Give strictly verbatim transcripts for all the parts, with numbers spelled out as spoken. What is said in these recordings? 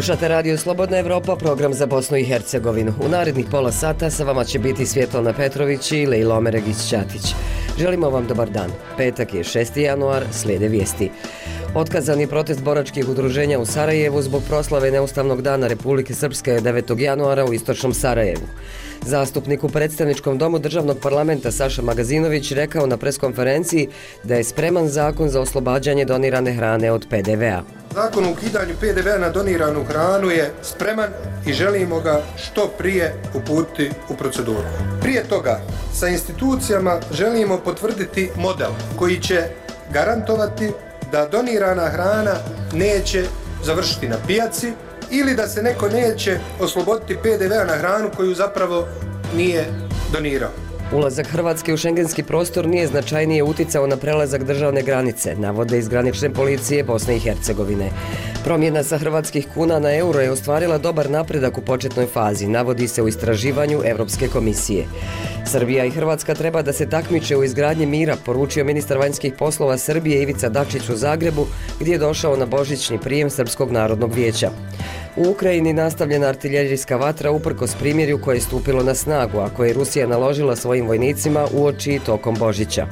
Slušate Radio Slobodna Evropa, program za Bosnu i Hercegovinu. U narednih pola sata sa vama će biti Svjetlana Petrović i Lejla Omeregić-Ćatić. Želimo vam dobar dan. Petak je šesti januar, slijede vijesti. Otkazan je protest boračkih udruženja u Sarajevu zbog proslave Neustavnog dana Republike Srpske devetog januara u istočnom Sarajevu. Zastupnik u predstavničkom domu državnog parlamenta Saša Magazinović rekao na preskonferenciji da je spreman zakon za oslobađanje donirane hrane od pe de ve a. Zakon o ukidanju pe de ve a na doniranu hranu je spreman i želimo ga što prije uputiti u proceduru. Prije toga, sa institucijama želimo potvrditi model koji će garantovati da donirana hrana neće završiti na pijaci ili da se neko neće osloboditi pe de ve a na hranu koju zapravo nije donirao. Ulazak Hrvatske u šengenski prostor nije značajnije uticao na prelazak državne granice, navode iz granične policije Bosne i Hercegovine. Promjena sa hrvatskih kuna na euro je ostvarila dobar napredak u početnoj fazi, navodi se u istraživanju Europske komisije. Srbija i Hrvatska treba da se takmiče u izgradnji mira, poručio ministar vanjskih poslova Srbije Ivica Dačić u Zagrebu, gdje je došao na božićni prijem Srpskog narodnog vijeća. U Ukrajini nastavljena artiljerijska vatra uprkos primjerju koje je stupilo na snagu, a koje je Rusija naložila svojim vojnicima uoči i tokom Božića.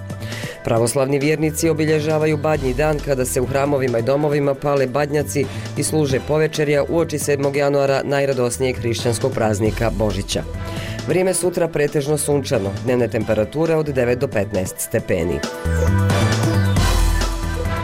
Pravoslavni vjernici obilježavaju Badnji dan kada se u hramovima i domovima pale badnjaci i služe povečerja uoči sedmog januara najradosnijeg hrišćanskog praznika Božića. Vrijeme sutra pretežno sunčano, dnevne temperature od devet do petnaest stepeni.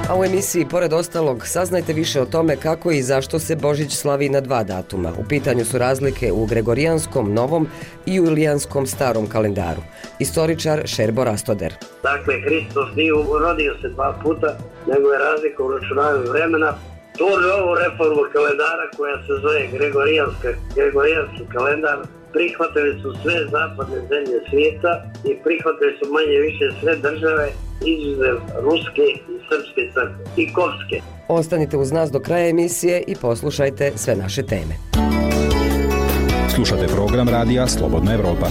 A u emisiji, pored ostalog, saznajte više o tome kako i zašto se Božić slavi na dva datuma. U pitanju su razlike u Gregorijanskom novom i Julijanskom starom kalendaru. Istoričar Šerbo Rastoder. Dakle, Hristos nije rodio se dva puta, nego je razlika u računavanju vremena. Tu ovu reformu kalendara koja se zove Gregorijanska, Gregorijanski kalendar prihvatili su sve zapadne zemlje svijeta i prihvatili su manje više sve države izuzev Ruske i Srpske crkve i Korske. Ostanite uz nas do kraja emisije i poslušajte sve naše teme. Slušate program radija Slobodna Evropa.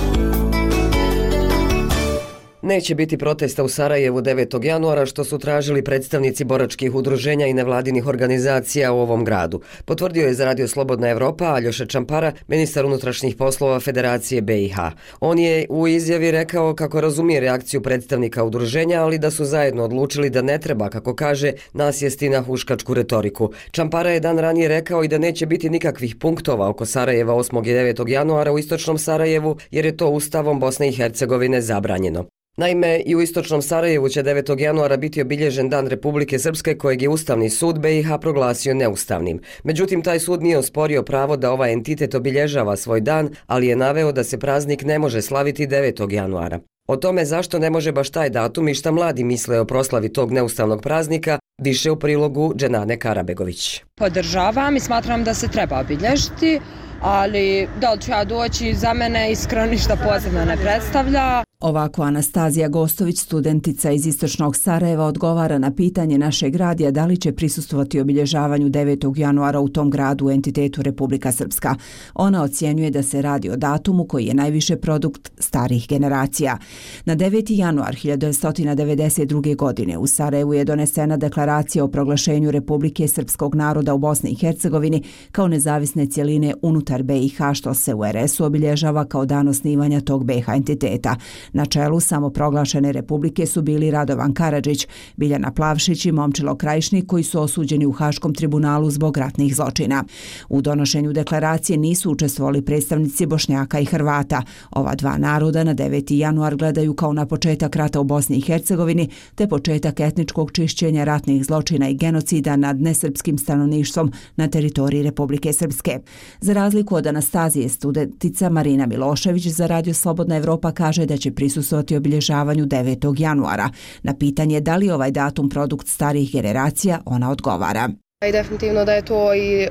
Neće biti protesta u Sarajevu devetog januara, što su tražili predstavnici boračkih udruženja i nevladinih organizacija u ovom gradu. Potvrdio je za Radio Slobodna Evropa Aljoša Čampara, ministar unutrašnjih poslova Federacije be i ha. On je u izjavi rekao kako razumije reakciju predstavnika udruženja, ali da su zajedno odlučili da ne treba, kako kaže, nasjesti na huškačku retoriku. Čampara je dan ranije rekao i da neće biti nikakvih punktova oko Sarajeva osmog i devetog januara u istočnom Sarajevu, jer je to Ustavom Bosne i Hercegovine zabranjeno. Naime, i u istočnom Sarajevu će devetog januara biti obilježen Dan Republike Srpske, kojeg je Ustavni sud be i ha proglasio neustavnim. Međutim, taj sud nije osporio pravo da ovaj entitet obilježava svoj dan, ali je naveo da se praznik ne može slaviti devetog januara. O tome zašto ne može baš taj datum i šta mladi misle o proslavi tog neustavnog praznika, više u prilogu Dženane Karabegović. Podržavam i smatram da se treba obilježiti, ali da li ću ja doći, za mene iskreno ništa posebno ne predstavlja. Ovako Anastazija Gostović, studentica iz istočnog Sarajeva, odgovara na pitanje našeg radija da li će prisustvovati obilježavanju devetog januara u tom gradu u entitetu Republika Srpska. Ona ocjenjuje da se radi o datumu koji je najviše produkt starih generacija. Na deveti januar hiljadu devetsto devedeset druge. godine u Sarajevu je donesena deklaracija o proglašenju Republike Srpskog naroda u Bosni i Hercegovini kao nezavisne cjeline unutar be i ha, što se u er esu obilježava kao dan osnivanja tog be i ha entiteta. Na čelu samoproglašene republike su bili Radovan Karadžić, Biljana Plavšić i Momčilo Krajišnik, koji su osuđeni u Haškom tribunalu zbog ratnih zločina. U donošenju deklaracije nisu učestvovali predstavnici Bošnjaka i Hrvata. Ova dva naroda na deveti januar gledaju kao na početak rata u Bosni i Hercegovini te početak etničkog čišćenja ratnih zločina i genocida nad nesrpskim stanovništvom na teritoriji Republike Srpske. Za razliku od Anastazije, studentica Marina Milošević za Radio Slobodna Evropa kaže da će prisustvovati obilježavanju devetog januara. Na pitanje da li ovaj datum produkt starih generacija, ona odgovara. I definitivno da je to i e,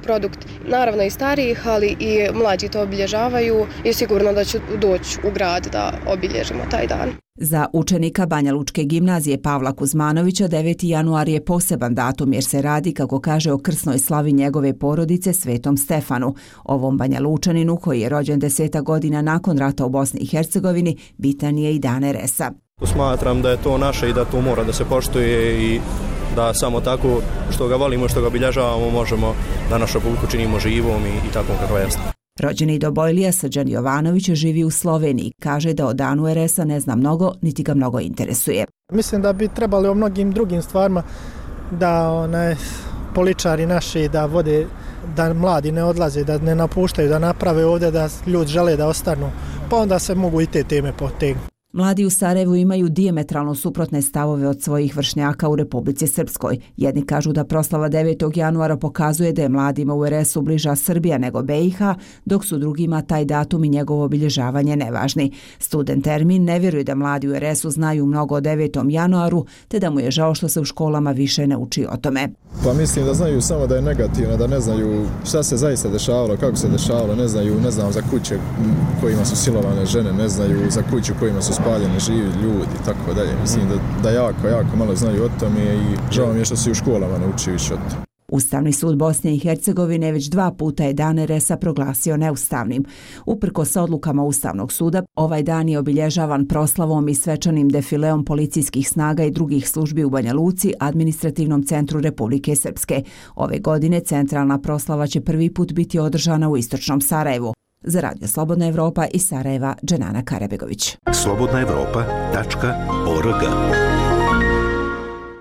produkt naravno i starijih, ali i mlađi to obilježavaju i sigurno da ću doći u grad da obilježimo taj dan. Za učenika Banja Lučke gimnazije Pavla Kuzmanovića deveti januar je poseban datum jer se radi, kako kaže, o krsnoj slavi njegove porodice Svetom Stefanu. Ovom Banja Lučaninu, koji je rođen deseta godina nakon rata u Bosni i Hercegovini, bitan je i dan er esa. Smatram da je to naše i da to mora da se poštuje i da samo tako što ga volimo, što ga obilježavamo, možemo da našu publiku činimo živom i, i takvom kakva jeste. Rođeni Dobojlija Srđan Jovanović živi u Sloveniji. Kaže da o danu er es a ne zna mnogo, niti ga mnogo interesuje. Mislim da bi trebali o mnogim drugim stvarima da onaj, političari naši da vode, da mladi ne odlaze, da ne napuštaju, da naprave ovdje, da ljudi žele da ostanu, pa onda se mogu i te teme potegnuti. Mladi u Sarajevu imaju dijametralno suprotne stavove od svojih vršnjaka u Republici Srpskoj. Jedni kažu da proslava devetog januara pokazuje da je mladima u er es u bliža Srbija nego be i ha, dok su drugima taj datum i njegovo obilježavanje nevažni. Student Ermin ne vjeruje da mladi u er es u znaju mnogo o devetom januaru, te da mu je žao što se u školama više ne uči o tome. Pa mislim da znaju samo da je negativno, da ne znaju šta se zaista dešavalo, kako se dešavalo, ne znaju, ne znam za kuće kojima su silovane žene, ne znaju za kuću kojima su spaljeni živi ljudi i tako dalje. Mislim da, da jako, jako malo znaju o tome i žao mi je što se u školama ne uči više o tome. Ustavni sud Bosne i Hercegovine već dva puta je dan er es a proglasio neustavnim. Uprkos odlukama Ustavnog suda, ovaj dan je obilježavan proslavom i svečanim defileom policijskih snaga i drugih službi u Banja Luci, administrativnom centru Republike Srpske. Ove godine centralna proslava će prvi put biti održana u istočnom Sarajevu. Za Radio Slobodna Evropa iz Sarajeva, Dženana Karabegović. slobodna evropa tačka org.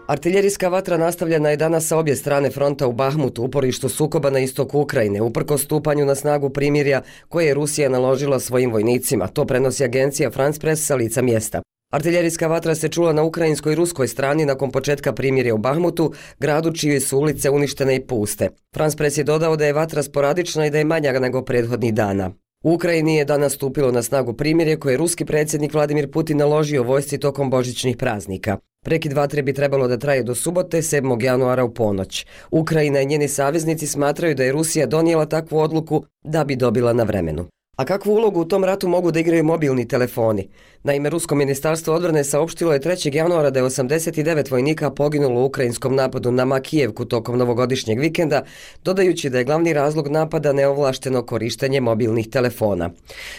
Artiljerijska vatra nastavljena je danas sa obje strane fronta u Bahmutu, uporištu sukoba na istoku Ukrajine, uprkos stupanju na snagu primirja koje je Rusija naložila svojim vojnicima. To prenosi agencija France Press sa lica mjesta. Artiljerijska vatra se čula na ukrajinskoj i ruskoj strani nakon početka primirja u Bahmutu, gradu čije su ulice uništene i puste. France Press je dodao da je vatra sporadična i da je manja nego prethodnih dana. U Ukrajini je danas stupilo na snagu primirje koje je ruski predsjednik Vladimir Putin naložio vojsci tokom božićnih praznika. Prekid vatre bi trebalo da traje do subote, sedmog januara u ponoć. Ukrajina i njeni saveznici smatraju da je Rusija donijela takvu odluku da bi dobila na vremenu. A kakvu ulogu u tom ratu mogu da igraju mobilni telefoni? Naime, Rusko ministarstvo odbrane saopštilo je trećeg januara da je osamdeset devet vojnika poginulo u ukrajinskom napadu na Makijevku tokom novogodišnjeg vikenda, dodajući da je glavni razlog napada neovlašteno korištenje mobilnih telefona.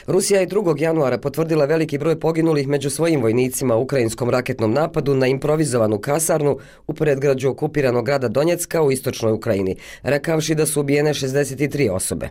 Rusija je drugog januara potvrdila veliki broj poginulih među svojim vojnicima u ukrajinskom raketnom napadu na improvizovanu kasarnu u predgrađu okupiranog grada Donjecka u istočnoj Ukrajini, rekavši da su ubijene šezdeset tri osobe.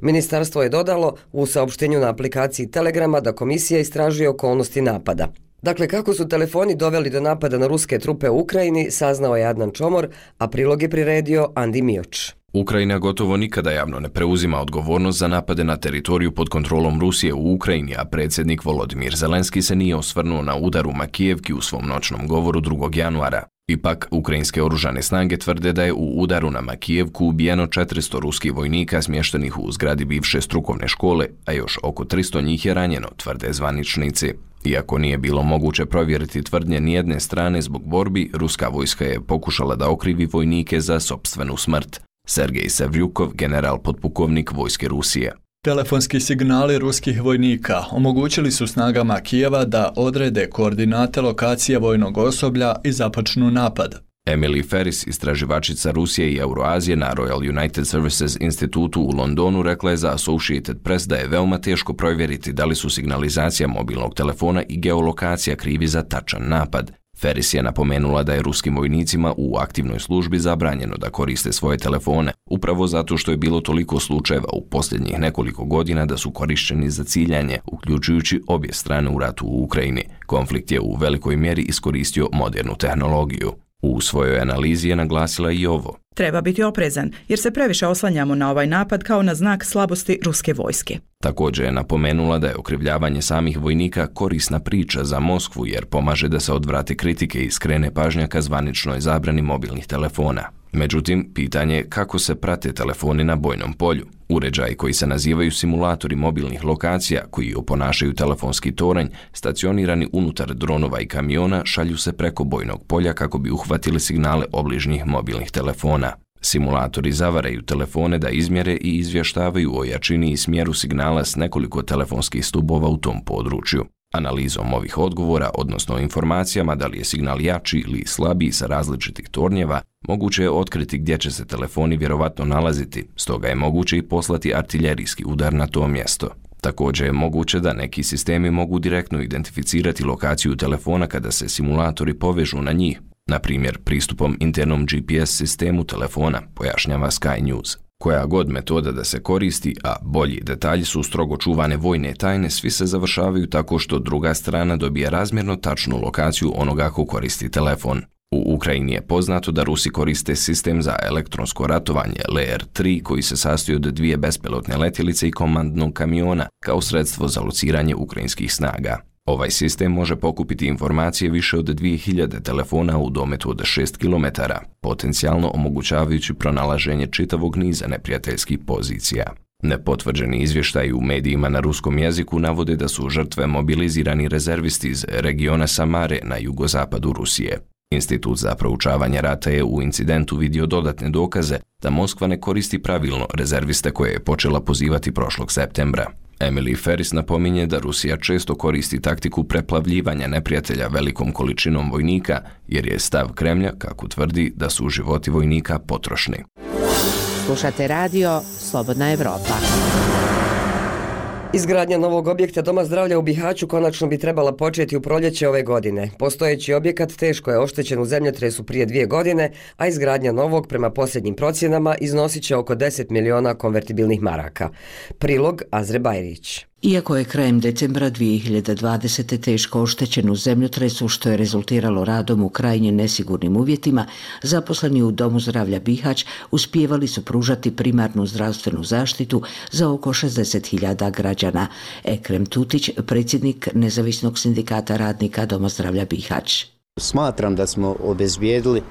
Ministarstvo je dodalo u saopštenju na aplikaciji Telegrama da komisija istražuje okolnosti napada. Dakle, kako su telefoni doveli do napada na ruske trupe u Ukrajini, saznao je Adnan Čomor, a prilog je priredio Andi Mioč. Ukrajina gotovo nikada javno ne preuzima odgovornost za napade na teritoriju pod kontrolom Rusije u Ukrajini, a predsjednik Volodimir Zelenski se nije osvrnuo na udar u Makijevki u svom noćnom govoru drugog januara. Ipak, ukrajinske oružane snage tvrde da je u udaru na Makijevku ubijeno četiristo ruskih vojnika smještenih u zgradi bivše strukovne škole, a još oko tristo njih je ranjeno, tvrde zvaničnici. Iako nije bilo moguće provjeriti tvrdnje nijedne strane zbog borbi, ruska vojska je pokušala da okrivi vojnike za sopstvenu smrt. Sergej Sevljukov, general potpukovnik vojske Rusije. Telefonski signali ruskih vojnika omogućili su snagama Kijeva da odrede koordinate lokacije vojnog osoblja i započnu napad. Emily Ferris, istraživačica Rusije i Euroazije na Royal United Services institutu u Londonu, rekla je za Associated Press da je veoma teško provjeriti da li su signalizacija mobilnog telefona i geolokacija krivi za tačan napad. Ferris je napomenula da je ruskim vojnicima u aktivnoj službi zabranjeno da koriste svoje telefone, upravo zato što je bilo toliko slučajeva u posljednjih nekoliko godina da su korišćeni za ciljanje, uključujući obje strane u ratu u Ukrajini. Konflikt je u velikoj mjeri iskoristio modernu tehnologiju. U svojoj analizi je naglasila i ovo. Treba biti oprezan, jer se previše oslanjamo na ovaj napad kao na znak slabosti ruske vojske. Također je napomenula da je okrivljavanje samih vojnika korisna priča za Moskvu, jer pomaže da se odvrate kritike i skrene pažnja ka zvaničnoj zabrani mobilnih telefona. Međutim, pitanje je kako se prate telefoni na bojnom polju. Uređaji koji se nazivaju simulatori mobilnih lokacija, koji oponašaju telefonski toranj, stacionirani unutar dronova i kamiona, šalju se preko bojnog polja kako bi uhvatili signale obližnjih mobilnih telefona. Simulatori zavaraju telefone da izmjere i izvještavaju o jačini i smjeru signala s nekoliko telefonskih stubova u tom području. Analizom ovih odgovora, odnosno informacijama da li je signal jači ili slabiji sa različitih tornjeva, moguće je otkriti gdje će se telefoni vjerovatno nalaziti, stoga je moguće i poslati artiljerijski udar na to mjesto. Također je moguće da neki sistemi mogu direktno identificirati lokaciju telefona kada se simulatori povežu na njih. na primjer pristupom internom G P S sistemu telefona, pojašnjava Sky News. Koja god metoda da se koristi, a bolji detalji su strogo čuvane vojne tajne, svi se završavaju tako što druga strana dobije razmjerno tačnu lokaciju onoga ko koristi telefon. U Ukrajini je poznato da Rusi koriste sistem za elektronsko ratovanje L R tri koji se sastoji od dvije bespilotne letjelice i komandnog kamiona kao sredstvo za lociranje ukrajinskih snaga. Ovaj sistem može pokupiti informacije više od dvije hiljade telefona u dometu od šest kilometara, potencijalno omogućavajući pronalaženje čitavog niza neprijateljskih pozicija. Nepotvrđeni izvještaji u medijima na ruskom jeziku navode da su žrtve mobilizirani rezervisti iz regiona Samare na jugozapadu Rusije. Institut za proučavanje rata je u incidentu vidio dodatne dokaze da Moskva ne koristi pravilno rezerviste koje je počela pozivati prošlog septembra. Emily Ferris napominje da Rusija često koristi taktiku preplavljivanja neprijatelja velikom količinom vojnika, jer je stav Kremlja, kako tvrdi, da su životi vojnika potrošni. Slušate radio Slobodna Evropa. Izgradnja novog objekta Doma zdravlja u Bihaću konačno bi trebala početi u proljeće ove godine. Postojeći objekat teško je oštećen u zemljotresu prije dvije godine, a izgradnja novog, prema posljednjim procjenama, iznosit će oko deset miliona konvertibilnih maraka. Prilog Azre Bajrić. Iako je krajem decembra dvije hiljade dvadesete. teško oštećen u zemljotresu što je rezultiralo radom u krajnje nesigurnim uvjetima, zaposleni u Domu zdravlja Bihać uspijevali su pružati primarnu zdravstvenu zaštitu za oko šezdeset hiljada građana. Ekrem Tutić, predsjednik Nezavisnog sindikata radnika Doma zdravlja Bihać. Smatram da smo obezbijedili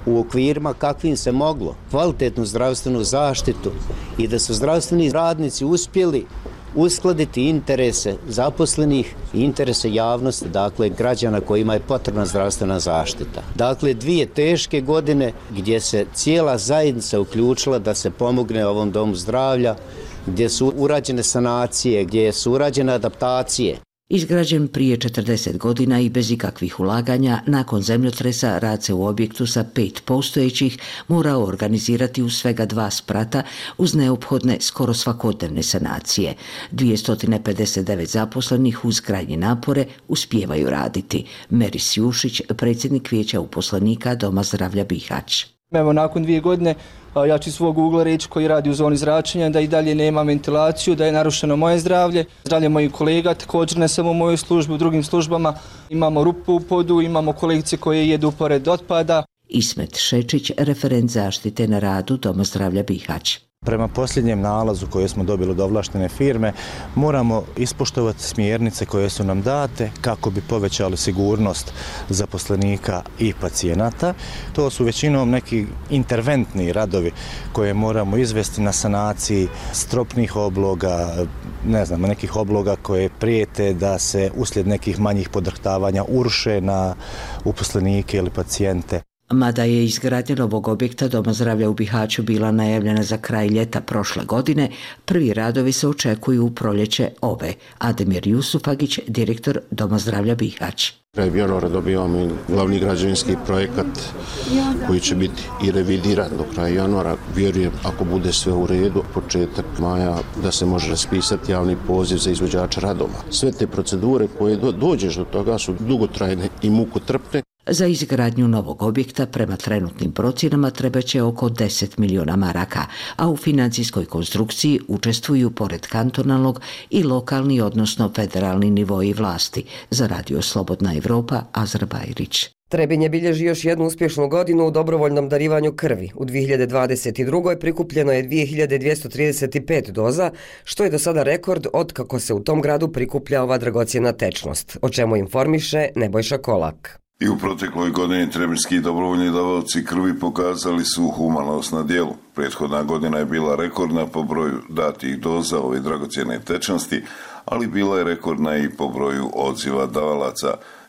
u okvirima kakvim se moglo kvalitetnu zdravstvenu zaštitu i da su zdravstveni radnici uspjeli uskladiti interese zaposlenih i interese javnosti, dakle građana kojima je potrebna zdravstvena zaštita. Dakle, dvije teške godine gdje se cijela zajednica uključila da se pomogne ovom domu zdravlja, gdje su urađene sanacije, gdje su urađene adaptacije. Izgrađen prije četrdeset godina i bez ikakvih ulaganja, nakon zemljotresa rad se u objektu sa pet postojećih morao organizirati u svega dva sprata uz neophodne skoro svakodnevne sanacije. dvjesto pedeset devet zaposlenih uz krajnje napore uspijevaju raditi. Meris Jušić, predsjednik vijeća uposlenika Doma zdravlja Bihać. Evo, nakon dvije godine ja ću svog ugla reći koji radi u zoni zračenja da i dalje nema ventilaciju, da je narušeno moje zdravlje, zdravlje mojih kolega, također ne samo u mojoj službi, u drugim službama. Imamo rupu u podu, imamo kolegice koje jedu pored otpada. Ismet Šečić, referent zaštite na radu Doma zdravlja Bihać. Prema posljednjem nalazu koje smo dobili od ovlaštene firme, moramo ispoštovati smjernice koje su nam date kako bi povećali sigurnost zaposlenika i pacijenata. To su većinom neki interventni radovi koje moramo izvesti na sanaciji stropnih obloga, ne znam, nekih obloga koje prijete da se uslijed nekih manjih podrhtavanja uruše na uposlenike ili pacijente. Mada je izgradnja novog objekta Doma zdravlja u Bihaću bila najavljena za kraj ljeta prošle godine, prvi radovi se očekuju u proljeće ove. Ademir Jusufagić, direktor Doma zdravlja Bihać. Kraj januara dobivamo i glavni građevinski projekat koji će biti i revidiran do kraja januara. Vjerujem, ako bude sve u redu, početak maja da se može raspisati javni poziv za izvođača radova. Sve te procedure koje do, dođeš do toga su dugotrajne i mukotrpne. Za izgradnju novog objekta prema trenutnim procjenama trebaće oko deset miliona maraka, a u financijskoj konstrukciji učestvuju pored kantonalnog i lokalni, odnosno federalni nivoji vlasti. Za radio Slobodna Evropa, Azra Bajrić. Trebinje bilježi još jednu uspješnu godinu u dobrovoljnom darivanju krvi. U dvije hiljade dvadeset drugoj prikupljeno je dvije hiljade dvjesto trideset pet doza, što je do sada rekord od kako se u tom gradu prikuplja ova dragocjena tečnost, o čemu informiše Nebojša Kolak. I u protekloj godini trebinski dobrovoljni davaoci krvi pokazali su humanost na djelu. Prethodna godina je bila rekordna po broju datih doza ove dragocjene tečnosti, ali bila je rekordna i po broju odziva davalaca.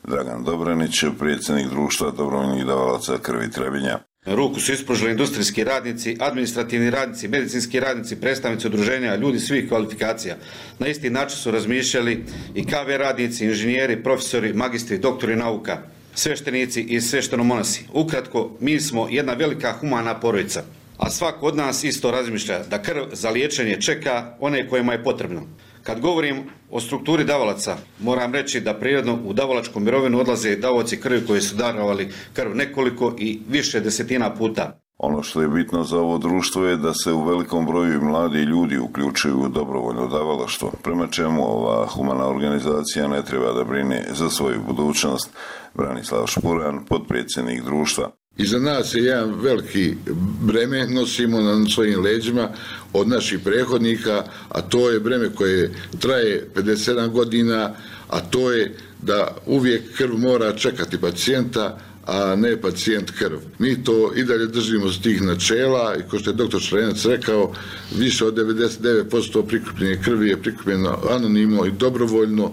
Dragan Dobranić, predsjednik društva dobrovoljnih davalaca krvi Trebinja. Ruku su ispružili industrijski radnici, administrativni radnici, medicinski radnici, predstavnici udruženja, ljudi svih kvalifikacija. Na isti način su razmišljali i K V radnici, inženjeri, profesori, magistri, doktori nauka, sveštenici i sveštenomonasi. Ukratko, mi smo jedna velika humana porodica, a svako od nas isto razmišlja da krv za liječenje čeka one kojima je potrebno. Kad govorim o strukturi davalaca, moram reći da prirodno u davalačku mirovinu odlaze davaoci krvi koji su darovali krv nekoliko i više desetina puta. Ono što je bitno za ovo društvo je da se u velikom broju mladi ljudi uključuju u dobrovoljno davalaštvo, prema čemu ova humana organizacija ne treba da brine za svoju budućnost. Branislav Špuran, potpredsjednik društva. Iza nas je jedan veliki breme, nosimo na svojim leđima od naših prethodnika, a to je breme koje traje pedeset sedam godina, a to je da uvijek krv mora čekati pacijenta, a ne pacijent krv. Mi to i dalje držimo s tih načela i kao što je doktor Šarenac rekao, više od devedeset devet posto prikupljene krvi je prikupljeno anonimno i dobrovoljno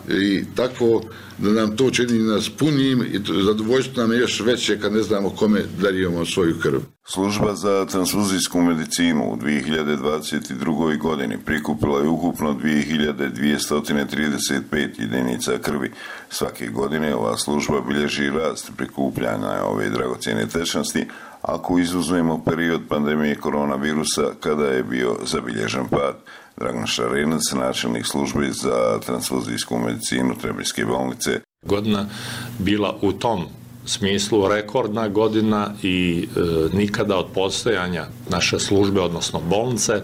i tako da nam to čini nas punijim i zadovoljstvo nam je još veće kad ne znamo kome darujemo svoju krv. Služba za transfuzijsku medicinu u dvije hiljade dvadeset drugoj. godini prikupila je ukupno dvije hiljade dvjesto trideset pet jedinica krvi. Svake godine ova služba bilježi rast prikupljanja ove dragocjene tečnosti, ako izuzmemo period pandemije koronavirusa kada je bio zabilježen pad. Dragan Šarenac, načelnik službe za transfuzijsku medicinu Trebinjske bolnice. Godina bila u tom smislu rekordna godina i e, nikada od postojanja naše službe, odnosno bolnice,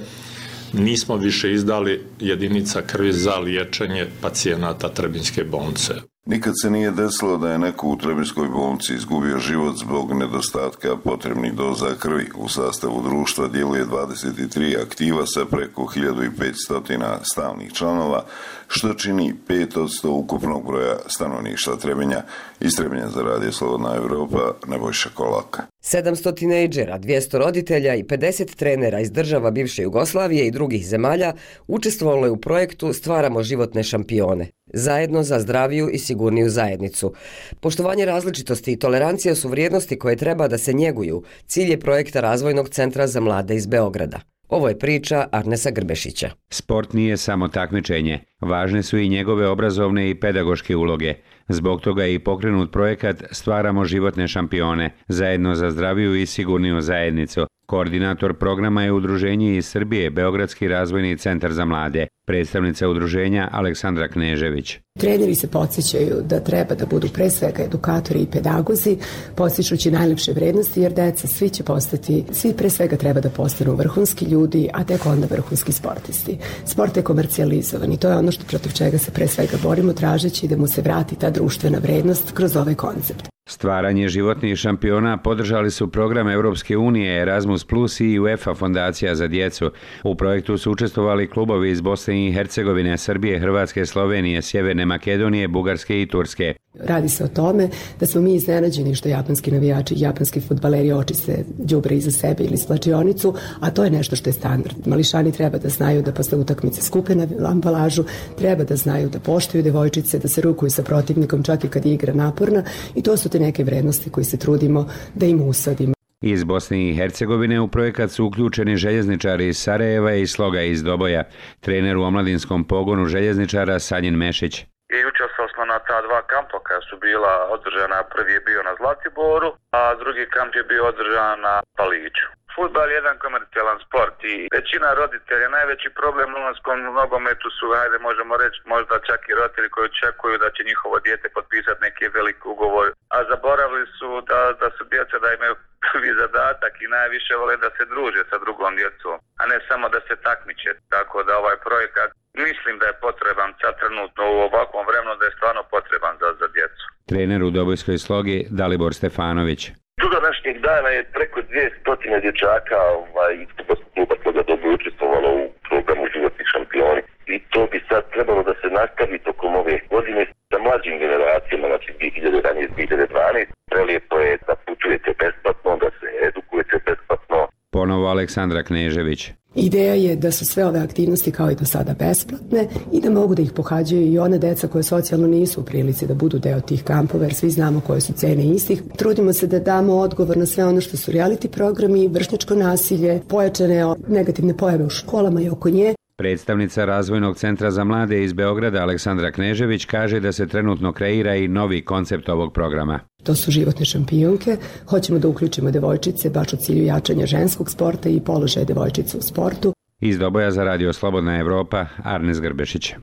nismo više izdali jedinica krvi za liječenje pacijenata Trebinjske bolnice. Nikad se nije desilo da je neko u Trebinjskoj bolnici izgubio život zbog nedostatka potrebnih doza krvi. U sastavu društva djeluje dvadeset tri aktiva sa preko hiljadu petsto stalnih članova, što čini pet posto ukupnog broja stanovništva Trebinja. Iz Trebinja za Radio Slobodna Evropa, Nebojša Kolaka. sedamsto tinejdžera, dvjesto roditelja i pedeset trenera iz država bivše Jugoslavije i drugih zemalja učestvovalo je u projektu Stvaramo životne šampione. Zajedno za zdraviju i sigurniju zajednicu. Poštovanje različitosti i tolerancija su vrijednosti koje treba da se njeguju. Cilj je projekta Razvojnog centra za mlade iz Beograda. Ovo je priča Arnesa Grbešića. Sport nije samo takmičenje. Važne su i njegove obrazovne i pedagoške uloge. Zbog toga je i pokrenut projekat Stvaramo životne šampione, zajedno za zdraviju i sigurniju zajednicu. Koordinator programa je udruženje iz Srbije, Beogradski razvojni centar za mlade. Predstavnica udruženja Aleksandra Knežević. Treneri se podsjećaju da treba da budu pre svega edukatori i pedagozi, podsjećući najlepše vrednosti, jer deca svi će postati, svi pre svega treba da postanu vrhunski ljudi, a tek onda vrhunski sportisti. Sport je komercijalizovan i to je ono što protiv čega se pre svega borimo, tražeći da mu se vrati ta društvena vrednost kroz ovaj koncept. Stvaranje životnih šampiona podržali su program Evropske unije Erasmus plus i UEFA fondacija za djecu. U projektu su učestvovali klubovi iz Bosne i Hercegovine, Srbije, Hrvatske, Slovenije, Sjeverne Makedonije, Bugarske i Turske. Radi se o tome da smo mi iznenađeni što japanski navijači i japanski fudbaleri očiste đubre iza sebe ili slačionicu, a to je nešto što je standard. Mališani treba da znaju da posle utakmice skupe na ambalažu, treba da znaju da poštuju devojčice, da se rukuju sa protivnikom čak i kad je igra naporna, i to su te neke vrednosti koje se trudimo da im usadimo. Iz Bosne i Hercegovine u projekat su uključeni željezničari iz Sarajeva i Sloga iz Doboja. Trener u omladinskom pogonu željezničara Sanjin Mešić. I učestvovao smo na ta dva kampa koja su bila održana, prvi je bio na Zlatiboru, a drugi kamp je bio održan na Paliću. Fudbal je jedan komercijalan sport i većina roditelja, najveći problem u mladskom nogometu su, ajde možemo reći, možda čak i roditelji koji očekuju da će njihovo dijete potpisati neki veliki ugovor, a zaboravili su da, da su djeca da imaju prvi zadatak i najviše vole da se druže sa drugom djecom, a ne samo da se takmiče. Tako da ovaj projekat mislim da je potreban sad trenutno u ovakvom vremenu, da je stvarno potreban za, za djecu. Trener u Dobojskoj Slogi Dalibor Stefanović. Do današnjeg dana je preko dvjesto dječaka ovaj, iz kluba Sloga Doboj učestvovalo u programu Životni šampioni. I to bi sad trebalo da se nastavi tokom ove godine sa mlađim generacijama, znači dvije hiljade jedanaeste do dvije hiljade dvanaeste. Prelijepo je da putujete besplatno, da se edukujete besplatno. Ponovo Aleksandra Knežević. Ideja je da su sve ove aktivnosti kao i do sada besplatne i da mogu da ih pohađaju i one deca koje socijalno nisu u prilici da budu deo tih kampova, jer svi znamo koje su cene istih. Trudimo se da damo odgovor na sve ono što su reality programi, vršnjačko nasilje, pojačane negativne pojave u školama i oko nje. Predstavnica Razvojnog centra za mlade iz Beograda Aleksandra Knežević kaže da se trenutno kreira i novi koncept ovog programa. To su životne šampionke. Hoćemo da uključimo devojčice baš u cilju jačanja ženskog sporta i položaja devojčica u sportu. Iz Doboja za Radio Slobodna Evropa, Arnes Grbešić.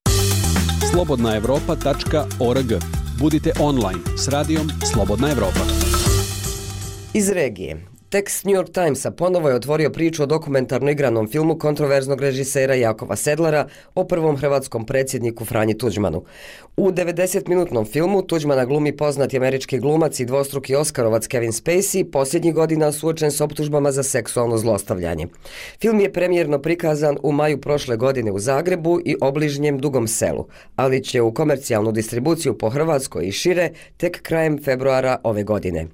slobodna evropa tačka org. Budite online s radijom Slobodna Evropa. Iz regije. Tekst New York Timesa ponovo je otvorio priču o dokumentarno igranom filmu kontroverznog režisera Jakova Sedlara o prvom hrvatskom predsjedniku Franji Tuđmanu. U devedesetminutnom filmu Tuđmana glumi poznati američki glumac i dvostruki Oskarovac Kevin Spacey, posljednjih godina suočen s optužbama za seksualno zlostavljanje. Film je premijerno prikazan u maju prošle godine u Zagrebu i obližnjem Dugom Selu, ali će u komercijalnu distribuciju po Hrvatskoj i šire tek krajem februara ove godine.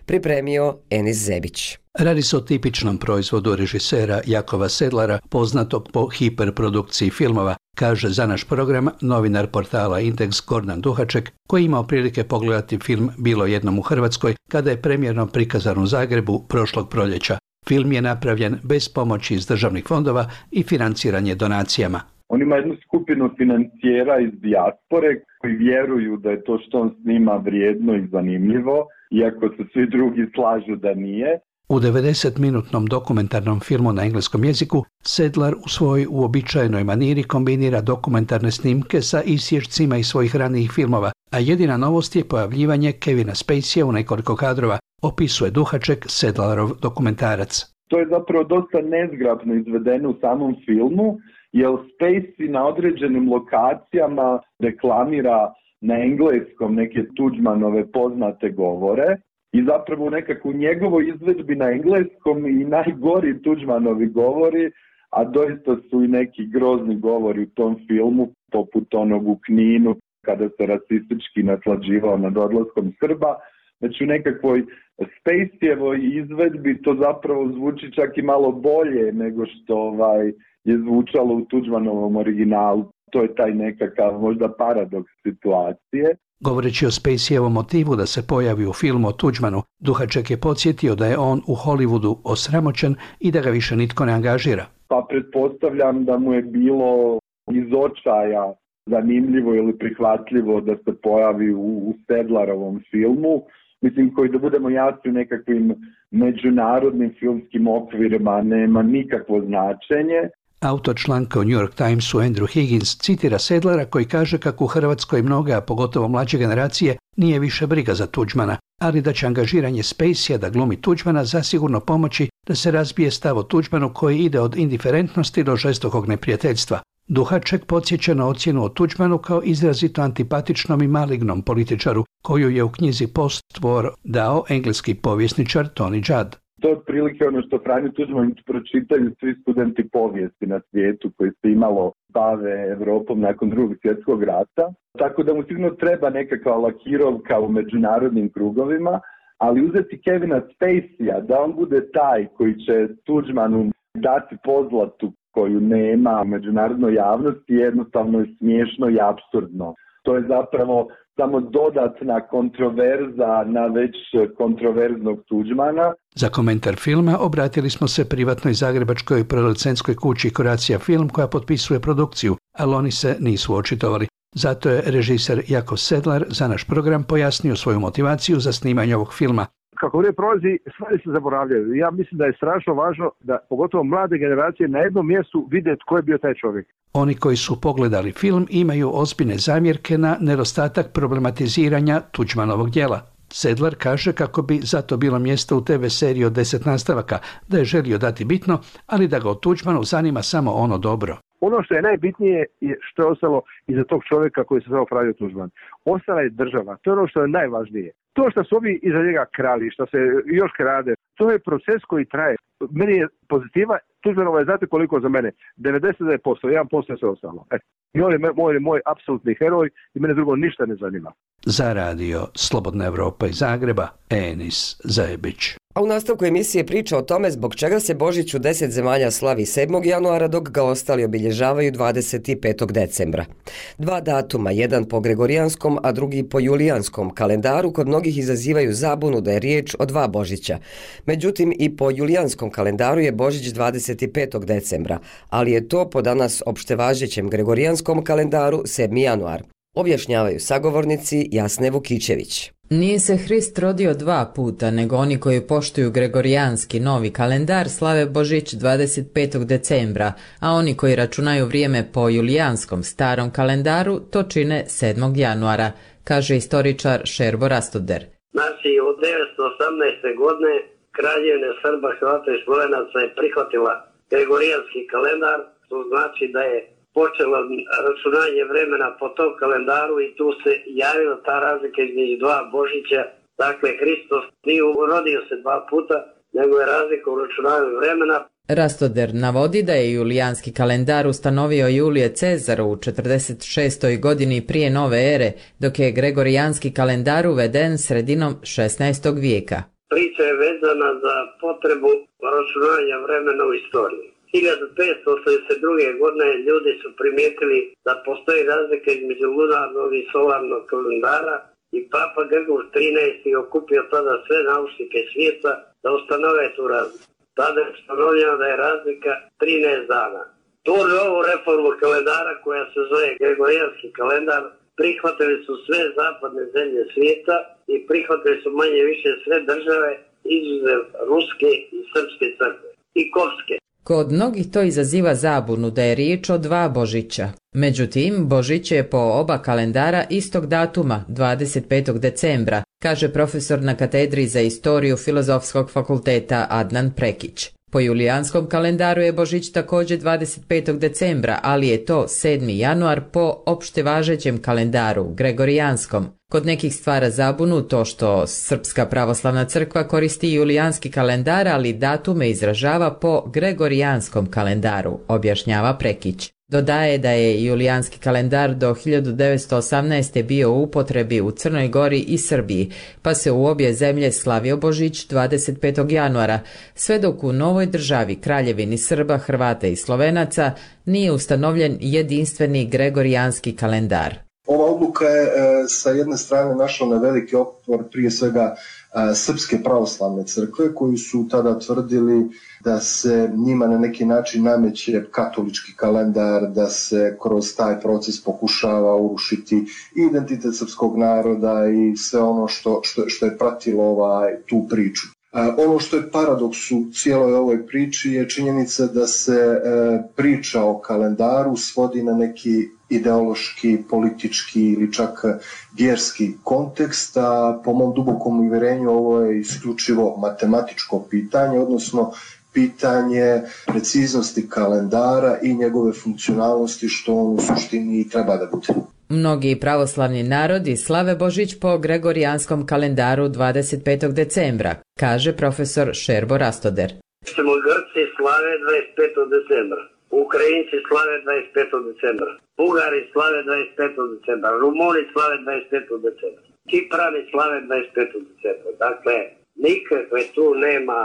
Pripremio Enis Zebić. Radi se o tipičnom proizvodu režisera Jakova Sedlara, poznatog po hiperprodukciji filmova, kaže za naš program novinar portala Indeks Gordan Duhaček, koji imao prilike pogledati film Bilo jednom u Hrvatskoj kada je premijerno prikazan u Zagrebu prošlog proljeća. Film je napravljen bez pomoći iz državnih fondova i financiranje donacijama. On ima jednu skupinu financijera iz dijaspore koji vjeruju da je to što on snima vrijedno i zanimljivo, iako se svi drugi slažu da nije. U devedesetminutnom dokumentarnom filmu na engleskom jeziku Sedlar u svojoj uobičajenoj maniri kombinira dokumentarne snimke sa isječcima iz svojih ranijih filmova, a jedina novost je pojavljivanje Kevina Spaceyja u nekoliko kadrova, opisuje Duhaček Sedlarov dokumentarac. To je zapravo dosta nezgrapno izvedeno u samom filmu, jer Spacey na određenim lokacijama reklamira na engleskom neke Tuđmanove poznate govore i zapravo u nekakvu njegovoj izvedbi na engleskom i najgori Tuđmanovi govori, a doista su i neki grozni govori u tom filmu, poput onog u Kninu kada se rasistički naslađivao nad odlaskom Srba. Znači u nekakvoj Spaceyevoj izvedbi to zapravo zvuči čak i malo bolje nego što ovaj, je zvučalo u Tuđmanovom originalu. To je taj nekakav možda paradoks situacije. Govoreći o Spaceyjevom motivu da se pojavi u filmu o Tuđmanu, Duhaček je podsjetio da je on u Hollywoodu osramoćen i da ga više nitko ne angažira. Pa pretpostavljam da mu je bilo iz očaja zanimljivo ili prihvatljivo da se pojavi u, u Sedlarovom filmu. Mislim, koji da budemo jasni u nekakvim međunarodnim filmskim okvirima nema nikakvo značenje. Autor članka u New York Timesu Andrew Higgins citira Sedlara koji kaže kako u Hrvatskoj mnoge, a pogotovo mlađe generacije, nije više briga za Tuđmana, ali da će angažiranje Spaceyja da glumi Tuđmana zasigurno pomoći da se razbije stav o Tuđmanu koji ide od indiferentnosti do žestokog neprijateljstva. Duhaček podsjeća na ocjenu o Tuđmanu kao izrazito antipatičnom i malignom političaru koju je u knjizi Post-War dao engleski povjesničar Tony Judd. To je otprilike ono što Franju Tuđman pročitaju svi studenti povijesti na svijetu koji se imalo bave Evropom nakon drugog svjetskog rata. Tako da mu sigurno treba nekakva lakirovka u međunarodnim krugovima, ali uzeti Kevina Spaceyja da on bude taj koji će Tuđmanu dati pozlatu koju nema u međunarodnoj javnosti jednostavno je smiješno i apsurdno. To je zapravo samo dodatna kontroverza na već kontroverznog Tuđmana. Za komentar filma obratili smo se privatnoj zagrebačkoj producentskoj kući Croatia Film koja potpisuje produkciju, ali oni se nisu očitovali. Zato je režiser Jakov Sedlar za naš program pojasnio svoju motivaciju za snimanje ovog filma. Kako vrijeme prolazi, stvari se zaboravljaju. Ja mislim da je strašno važno da pogotovo mlade generacije na jednom mjestu vide tko je bio taj čovjek. Oni koji su pogledali film imaju ozbiljne zamjerke na nedostatak problematiziranja Tuđmanovog djela. Sedlar kaže kako bi zato bilo mjesto u te ve seriji od deset nastavaka, da je želio dati bitno, ali da ga o Tuđmanu zanima samo ono dobro. Ono što je najbitnije je što je ostalo iza tog čovjeka koji se zvao Franjo Tuđman. Ostala je država, to je ono što je najvažnije. To što su ovi iza njega krali, što se još krade, to je proces koji traje. Meni je pozitiva, Tuđmanova je znate koliko za mene? devedeset devet posto, jedan posto je sve ostalo. E. I on je moj, moj apsolutni heroj i mene drugo ništa ne zanima. Za radio Slobodna Evropa iz Zagreba, Enis Zajebić. A u nastavku emisije priča o tome zbog čega se Božić u deset zemalja slavi sedmog januara dok ga ostali obilježavaju dvadeset petog decembra. Dva datuma, jedan po gregorijanskom, a drugi po julijanskom kalendaru, kod mnogih izazivaju zabunu da je riječ o dva Božića. Međutim, i po julijanskom kalendaru je Božić dvadeset petog decembra, ali je to po danas opštevažećem gregorijanskom kalendaru sedmi januar. objašnjavaju sagovornici Jasne Vukićević. Nije se Hrist rodio dva puta, nego oni koji poštuju gregorijanski novi kalendar slave Božić dvadeset petog decembra, a oni koji računaju vrijeme po julijanskom starom kalendaru to čine sedmog januara, kaže istoričar Šerbo Rastoder. Znači, od devetsto osamnaeste. godine Kraljevina Srba, Hrvata i Slovenaca je prihvatila gregorijanski kalendar, to znači da je počelo računanje vremena po tom kalendaru i tu se javila ta razlika između dva Božića. Dakle, Hristos nije rodio se dva puta, nego je razlika u računanju vremena. Rastoder navodi da je julijanski kalendar ustanovio Julije Cezar u četrdeset šestoj godini prije nove ere, dok je gregorijanski kalendar uveden sredinom šesnaestog vijeka. Priča je vezana za potrebu računanja vremena u istoriji. hiljadu petsto osamdeset druge. godine ljudi su primijetili da postoji razlika između lunarnog i solarnog kalendara i Papa Grgur trinaesti. je okupio tada sve naučnike svijeta da ustanove tu razliku. Tada je ustanovljeno da je razlika trinaest dana. Tu novu reformu kalendara koja se zove gregorijanski kalendar prihvatili su sve zapadne zemlje svijeta i prihvatili su manje više sve države izuzev Ruske i Srpske crkve i Kopske. Kod mnogih to izaziva zabunu da je riječ o dva Božića. Međutim, Božić je po oba kalendara istog datuma, dvadeset petog decembra, kaže profesor na katedri za istoriju Filozofskog fakulteta Adnan Prekić. Po julijanskom kalendaru je Božić također dvadeset petog decembra, ali je to sedmi januar po opšte važećem kalendaru, gregorijanskom. Kod nekih stvara zabunu to što Srpska pravoslavna crkva koristi julijanski kalendar, ali datume izražava po gregorijanskom kalendaru, objašnjava Prekić. Dodaje da je julijanski kalendar do hiljadu devetsto osamnaeste. bio u upotrebi u Crnoj Gori i Srbiji, pa se u obje zemlje slavio Božić dvadeset petog januara, sve dok u novoj državi Kraljevini Srba, Hrvata i Slovenaca nije ustanovljen jedinstveni gregorijanski kalendar. Ova odluka je e, sa jedne strane našla na veliki otpor prije svega e, Srpske pravoslavne crkve koji su tada tvrdili da se njima na neki način nameće katolički kalendar, da se kroz taj proces pokušava urušiti identitet srpskog naroda i sve ono što, što, što je pratilo ovaj, tu priču. E, ono što je paradoks u cijeloj ovoj priči je činjenica da se e, priča o kalendaru svodi na neki ideološki, politički ili čak vjerski kontekst, a po mom dubokom uvjerenju ovo je isključivo matematičko pitanje, odnosno pitanje preciznosti kalendara i njegove funkcionalnosti što on u suštini i treba da bude. Mnogi pravoslavni narodi slave Božić po gregorijanskom kalendaru dvadeset petog decembra, kaže profesor Šerbo Rastoder. Grci slave dvadeset petog decembra. Ukrajinci slave dvadeset petog decembra, Bugari slave dvadeset petog decembra, Rumuni slave dvadeset petog decembra, Kiprani slave dvadeset petog decembra. Dakle, nikakve tu nema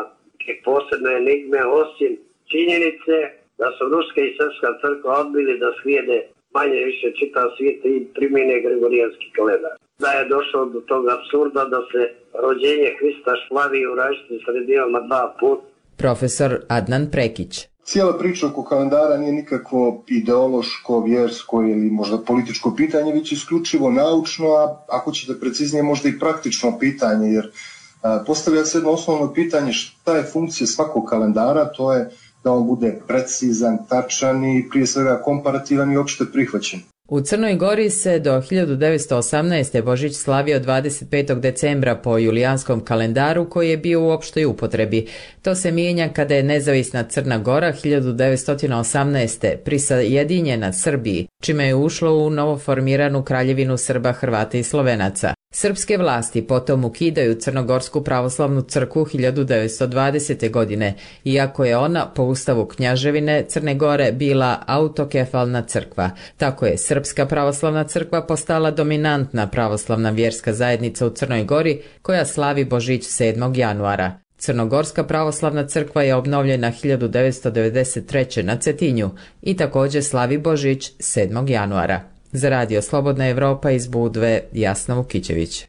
posebne enigme osim činjenice da su Ruska i Srpska crkva odbili da slijede manje više čitav svijet i primjene gregorijanski kalendar. Da je došlo do tog apsurda da se rođenje Hrista slavi u različitim sredinama dva puta. Profesor Adnan Prekić. Cijela priča oko kalendara nije nikakvo ideološko, vjersko ili možda političko pitanje, već isključivo naučno, a ako ćete preciznije možda i praktično pitanje, jer a, postavlja se jedno osnovno pitanje šta je funkcija svakog kalendara, to je da on bude precizan, tačan i prije svega komparativan i opšte prihvaćen. U Crnoj Gori se do hiljadu devetsto osamnaeste. Božić slavio dvadeset petog decembra po julijanskom kalendaru koji je bio u opštoj upotrebi. To se mijenja kada je nezavisna Crna Gora hiljadu devetsto osamnaeste. prisajedinjena Srbiji, čime je ušlo u novoformiranu Kraljevinu Srba, Hrvata i Slovenaca. Srpske vlasti potom ukidaju Crnogorsku pravoslavnu crkvu hiljadu devetsto dvadesete. godine, iako je ona po ustavu Knjaževine Crne Gore bila autokefalna crkva. Tako je Srpska pravoslavna crkva postala dominantna pravoslavna vjerska zajednica u Crnoj Gori koja slavi Božić sedmog januara. Crnogorska pravoslavna crkva je obnovljena hiljadu devetsto devedeset treće. na Cetinju i također slavi Božić sedmog januara. Za Radio Slobodna Evropa iz Budve, Jasna Vukićević.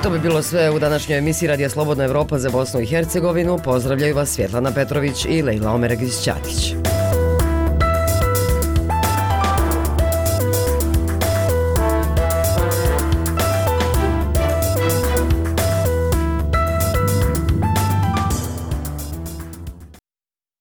To bi bilo sve u današnjoj emisiji Radija Slobodna Evropa za Bosnu i Hercegovinu. Pozdravljaju vas Svjetlana Petrović i Lejla Omeregić-Ćatić.